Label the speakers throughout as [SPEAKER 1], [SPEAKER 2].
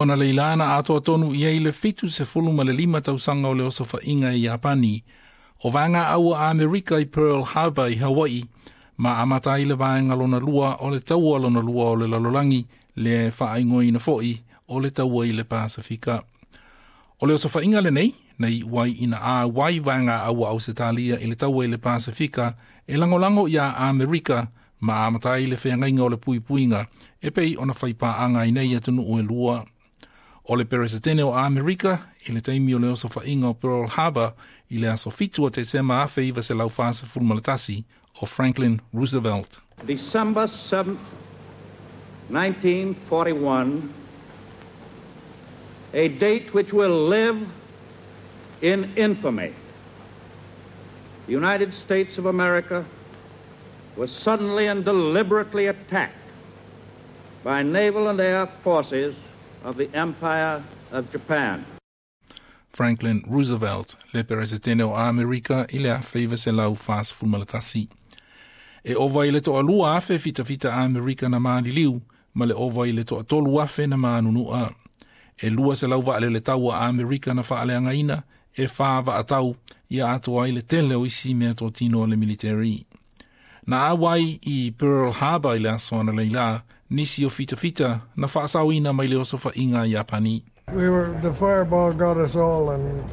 [SPEAKER 1] Analeila na atoa tonu i ai le 75 tausaga o le osofaiga i Iapani, o vaega aua Amerika i Pearl Harbor i Hawaii, ma amata ai le vaega lona lua o le taua lona lua o le lalolagi le faaigoaina foi o le taua i le Pasifika. O le osofaiga lenei, na iu ai ina auai vaega aua Ausetalia i le taua i le Pasifika e lagolago iā Amerika ma amata ai le feagaiga o le puipuiga e pei ona faipaaga ai nei atunuu e lua. O le Peresetene o Amerika i le taimi o le osofaiga o Pearl Harbor i le aso 7 o Tesema 1941 o Franklin Roosevelt.
[SPEAKER 2] December 7th, 1941, a date which will live in infamy. The United States of America was suddenly and deliberately attacked by naval and air forces of the Empire of Japan.
[SPEAKER 1] Franklin Roosevelt, le Peresetene o Amerika i le 1941. E ova i le 2,000 fitafita Amerika na maliliu, ma le ova i le 3,000 na manunua. E 200 vaalele taua Amerika na faaleagaina, e 4 vaatau, ia atoa ai le tele o isi meatotino o le military. Na auai i Pearl Harbor i le aso analeila, nisi o fitafita na faasaoina mai le osofaiga Iapani.
[SPEAKER 3] The fireball got us all, and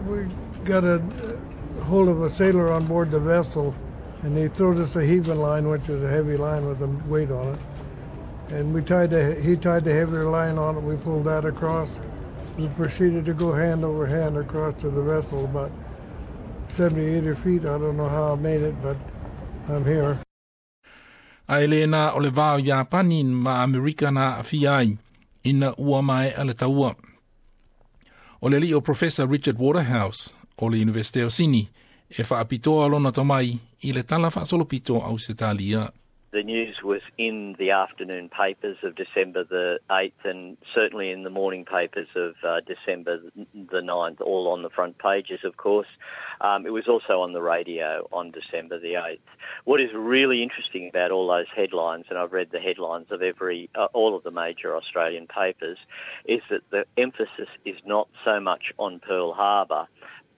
[SPEAKER 3] we got a hold of a sailor on board the vessel, and he threw us a heaving line, which is a heavy line with a weight on it. And he tied the heavier line on it. We pulled that across. We proceeded to go hand over hand across to the vessel, about 70, 80 feet. I don't know how I made it, but I'm here.
[SPEAKER 1] Ae le na o le vā o Iapani ma Amerika na aafia ai, ina ua maea le taua. O le alii o Professor Richard Waterhouse o le Universite o Sini e faapitoa lona tomai i le tala faasolopito Ausetalia.
[SPEAKER 4] The news was in the afternoon papers of December the 8th and certainly in the morning papers of December the 9th, all on the front pages, of course. It was also on the radio on December the 8th. What is really interesting about all those headlines, and I've read the headlines of all of the major Australian papers, is that the emphasis is not so much on Pearl Harbor,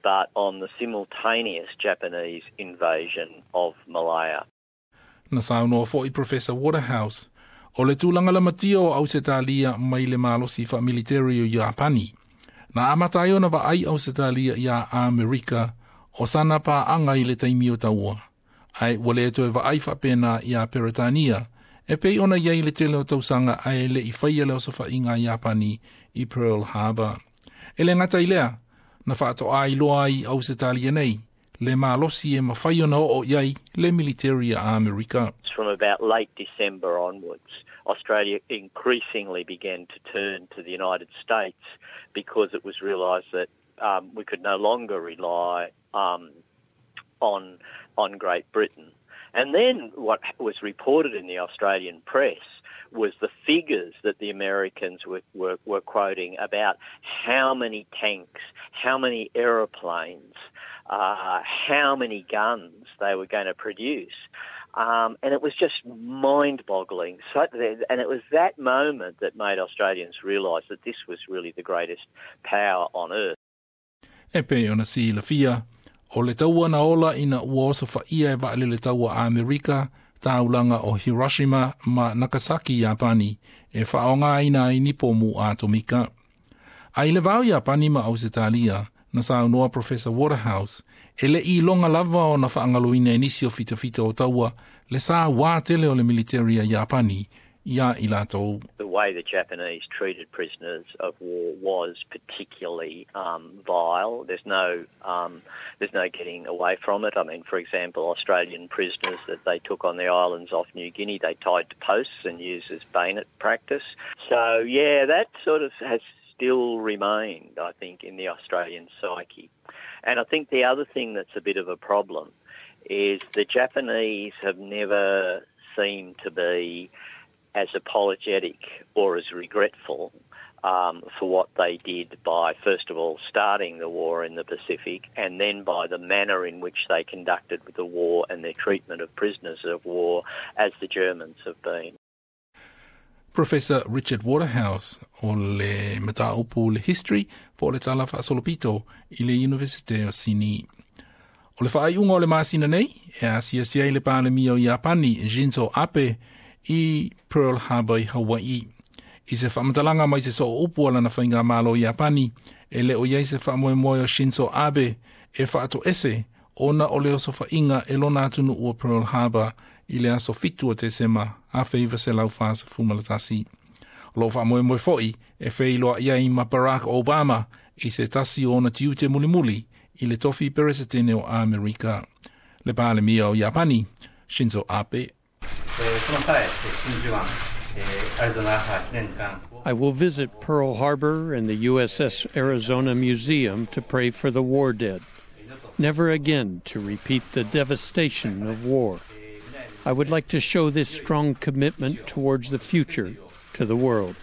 [SPEAKER 4] but on the simultaneous Japanese invasion of Malaya.
[SPEAKER 1] Na saunoa foi Professor Waterhouse, o le tulaga lamatia o Ausetalia mai le malosi faamiliteri o Iapani. Na amata ai ona vaai Ausetalia iā Amerika o sana paaga i le taimi o taua. Ae ua le toe vaai faapena iā Peretania, e pei ona i ai le tele o tausaga ae le'i faia le osofaiga a Iapani i Pearl Harbor. E le gata i lea, na faatoa iloa ai Ausetalia nei, le malosi e mafai ona oo i ai le military a Amerika.
[SPEAKER 4] From about late December onwards, Australia increasingly began to turn to the United States because it was realised that we could no longer rely on Great Britain. And then what was reported in the Australian press was the figures that the Americans were quoting about how many tanks, how many aeroplanes, how many guns they were going to produce. And it was just mind-boggling. And it was that moment that made Australians realise that this was really the greatest power on earth.
[SPEAKER 1] E pei ona silafia, o le taua na ola ina ua osofaia e vaalele taua Amerika, taulaga o Hiroshima ma Nagasaki Iapani, e faaaogaina ai ni pomu atomika. Ae i le va o Iapani ma Ausetalia, na saunoa Professor Waterhouse, e le'i iloga lava ona faagaloina e nisi o fitafita o taua le sauā tele o le militeri a Iapani iā i latou.
[SPEAKER 4] The way the Japanese treated prisoners of war was particularly vile. There's no getting away from it. I mean, for example, Australian prisoners that they took on the islands off New Guinea, they tied to posts and used as bayonet practice. So, yeah, that sort of has still remained, I think, in the Australian psyche. And I think the other thing that's a bit of a problem is the Japanese have never seemed to be as apologetic or as regretful for what they did by, first of all, starting the war in the Pacific and then by the manner in which they conducted the war and their treatment of prisoners of war as the Germans have been.
[SPEAKER 1] Professor Richard Waterhouse o le mataupu le history po o le tala faasolopito i le Universite o Sini. O le faaiuga o le masina nei, e asiasi ai le Palemia o Iapani Shinzo Abe i Pearl Harbor i Hawaii. I se faamatalaga mai se sooupu a lana faigamalo Iapani, e le o iai se faamoemoe o Shinzo Abe e faatoese ona o le osofaiga e lona atunuu o Pearl Harbor i le aso 7 o Tesema 1941. O loo faamoemoe foi e feiloai ai ma Barack Obama i se tasi o ona tiute mulimuli i le tofi peresetene o Amerika. Le Palemia o Iapani, Shinzo Abe.
[SPEAKER 5] I will visit Pearl Harbor and the USS Arizona Museum to pray for the war dead, never again to repeat the devastation of war. I would like to show this strong commitment towards the future to the world.